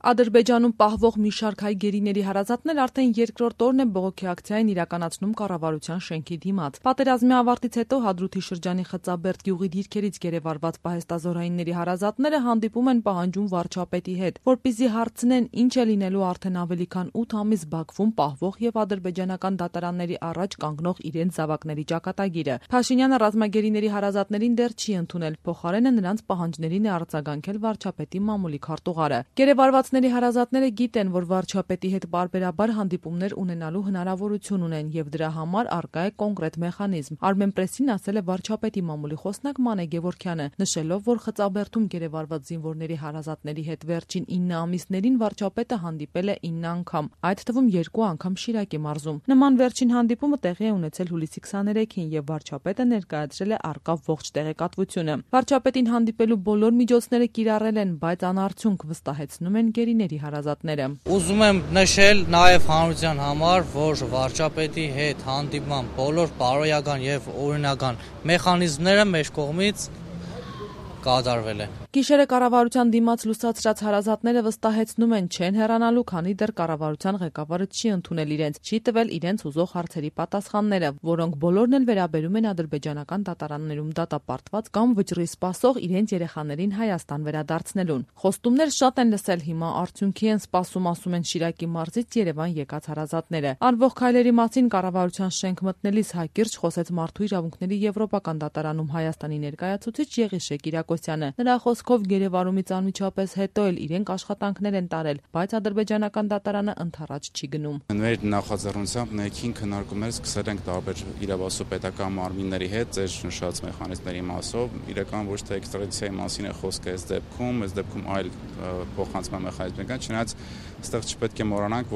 Ադրբեջանում պահվող մի շարք հայ գերիների հարազատներ արդեն երկրորդ օրն է բողոքի ակցիային իրականացնում կառավարության շենքի դիմաց։ Պատերազմի ավարտից հետո Հադրութի շրջանի Խծաբերդ գյուղի դիրքերից գերեվարված պահեստազորայինների հարազատները հանդիպում են պահանջում վարչապետի հետ, որպեսզի հարցնեն ինչ է լինելու արդեն ավելի քան 8 ամիս Բաքվում պահվող եւ ադրբեջանական դատարանների առաջ կանգնող իրենց զավակների ճակատագիրը։ Փաշինյանը ռազմագերիների հարազատներին դեռ չի ընդունել, փոխարենը նրանց պահանջներին է արձագանքել վարչապետի մամուլի քարտուղարը։ Գերեվարվածների հարազատները գիտեն, որ վարչապետի հետ պարբերաբար հանդիպումներ ունենալու հնարավորություն ունեն եւ դրա համար առկա է կոնկրետ մեխանիզմ։ Armenpress-ին ասել է վարչապետի մամուլի խոսնակ Մանե Գևորգյանը, նշելով, որ Խծաբերդում գերեվարված զինվորների հարազատների հետ վերջին 9 ամիսներին վարչապետը հանդիպել է 9 անգամ, այդ թվում 2 անգամ Շիրակի մարզում։ Նման վերջին հանդիպումը տեղի է ունեցել հուլիսի 23-ին եւ վարչապետը ներկայացրել է առկա ողջ տեղեկատվությունը։ Վարչապետին հանդիպելու բոլոր միջոցները կիրառել են, բայց անարդյունք, վստահեցնում են գերիների հարազատները։ Ուզում եմ նշել նաև հանրության համար, որ վարչապետի հետ հանդիպման բոլոր բարոյական եւ օրինական մեխանիզմները մեր կողմից կատարվել է։ Գիշերը կառավարության դիմաց լուսացրած հարազատները վստահեցնում են, չեն հեռանալու, քանի դեռ կառավարության ղեկավարը չի ընդունել իրենց, չի տվել իրենց ուզող հարցերի պատասխանները, որոնք բոլորն էլ վերաբերում են ադրբեջանական դատարաններում դատապարտված կամ վճռի սպասող իրենց երեխաներին Հայաստան վերադարձնելուն։ Խոստումներ շատ են լսել, հիմա արդյունքի են սպասում, ասում են Շիրակի մարզից Երևան եկած հարազատները։ Արվող քայլերի մասին կառավարության շենք մտնելիս հայկիրճ խոսեց Մարդու իրավունքների եվրոպական դատարանում Հայաստանի ներկայացուցիչ Եղիշե Կիրակոսյանը։ Նրա խոսքով գերեվարումից անմիջապես հետո էլ իրենք աշխատանքներ են տարել, բայց ադրբեջանական դատարանը ընդառաջ չի գնում։ Մեր նախաձեռնությամբ ներքին քննարկումներ սկսել ենք տարբեր իրավասու պետական մարմինների հետ ձեր նշած մեխանիզմների մասով, իրական ոչ թե էքստրադիցիայի մասին է խոսքը այս դեպքում այլ փոխանցման մեխանիզմներ կան, չնայած այստեղ չպետք է մոռանանք,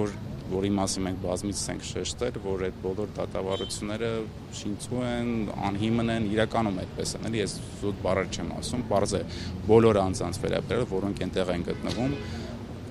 որի մասին մենք բազմիցս ենք շեշտել, որ այդ բոլոր դատավարությունները շինծու են, անհիմն են, իրականում այդպես են, էլի ես զուտ բառեր չեմ ասում, պարզ է բոլոր անձանց վերաբերել, որոնք այնտեղ են գտնվում,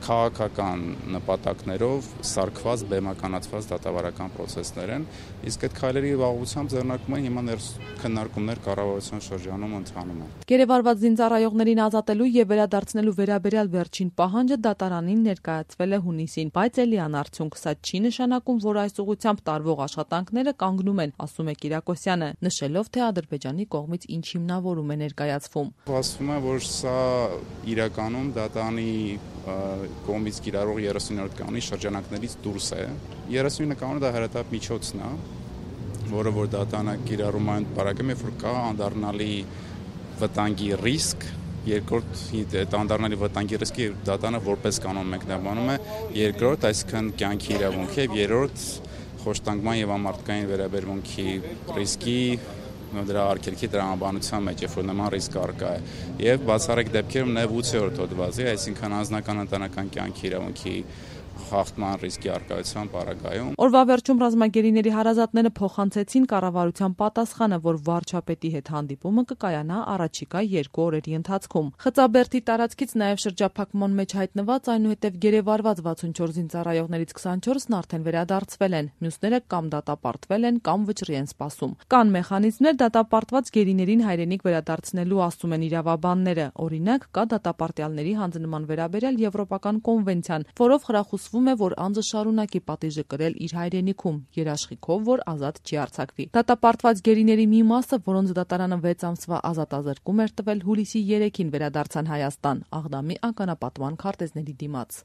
քաղաքական նպատակներով սարքված, բեմականացված դատավարական process-ներ են, իսկ այդ քայլերի ուղղությամբ ձեռնարկում են հիմա քննարկումներ կառավարության շրջանում ընթանում են։ Գերեվարված զինծառայողներին ազատելու եւ վերադարձնելու վերաբերյալ վերջին պահանջը դատարանին ներկայացվել է հունիսին, բայց էլի անարդյունք, սա չի նշանակում, որ այս ուղղությամբ տարվող աշխատանքները կանգնում են, ասում է Կիրակոսյանը, նշելով, թե Ադրբեջանի կողմից ինչ հիմնավորում է ներկայացվում։ Ասվում է, որ սա իրականում դատարանի կողմից կիրառող 30-րդ կանոնի շրջանակներից դուրս է։ 39 կանոնը դա հրատապ միջոցն է, որը որ դատարանը կիրառում է բարակում, երբ որ կա անդառնալի վտանգի ռիսկ, երկրորդ այդ անդառնալի վտանգի ռիսկի դատարանը որպես կանոն մեկնաբանում է, երկրորդ, այսինքն կյանքի իրավունքի եւ երրորդ խոշտանգման եւ ամարտկային վերաբերմունքի ռիսկի դրա արգելքի տրամաբանության մեջ, երբ որ նման ռիսկ առկա է, եւ բացառիկ դեպքերում նաեւ 8-րդ հոդվածի, այսինքն անձնական ընտանեկան կյանքի իրավունքի խախտման ռիսկի առկայության պարագայում։ Օրվա վերջում ռազմագերիների հարազատները փոխանցեցին կառավարության պատասխանը, որ վարչապետի հետ հանդիպումը կկայանա առաջիկա 2 օրերի ընթացքում։ Խծաբերդի տարածքից նաև շրջափակման մեջ հայտնված, այնուհետև գերեվարված 64 զինծառայողներից 24-ն արդեն վերադարձվել են, մյուսները կամ դատապարտվել են, կամ վճռի են սպասում։ Կան մեխանիզմներ դատապարտված գերիներին հայրենիք վերադարձնելու, ասում են իրավաբանները։ Օրինակ, կա դատապարտյալների հանձնման վերաբերյալ եվրոպական կոնվենցիան, որով խրախուսվում է, որ անձը շարունակի պատիժը կրել իր հայրենիքում, երաշխիքով, որ ազատ չի արձակվի։ Դատապարտված գերիների մի մասը, որոնց դատարանը 6 ամսվա ազատազրկում էր տվել, հուլիսի 3-ին վերադարձան Հայաստան, Աղդամի ականապատման քարտեզների դիմաց։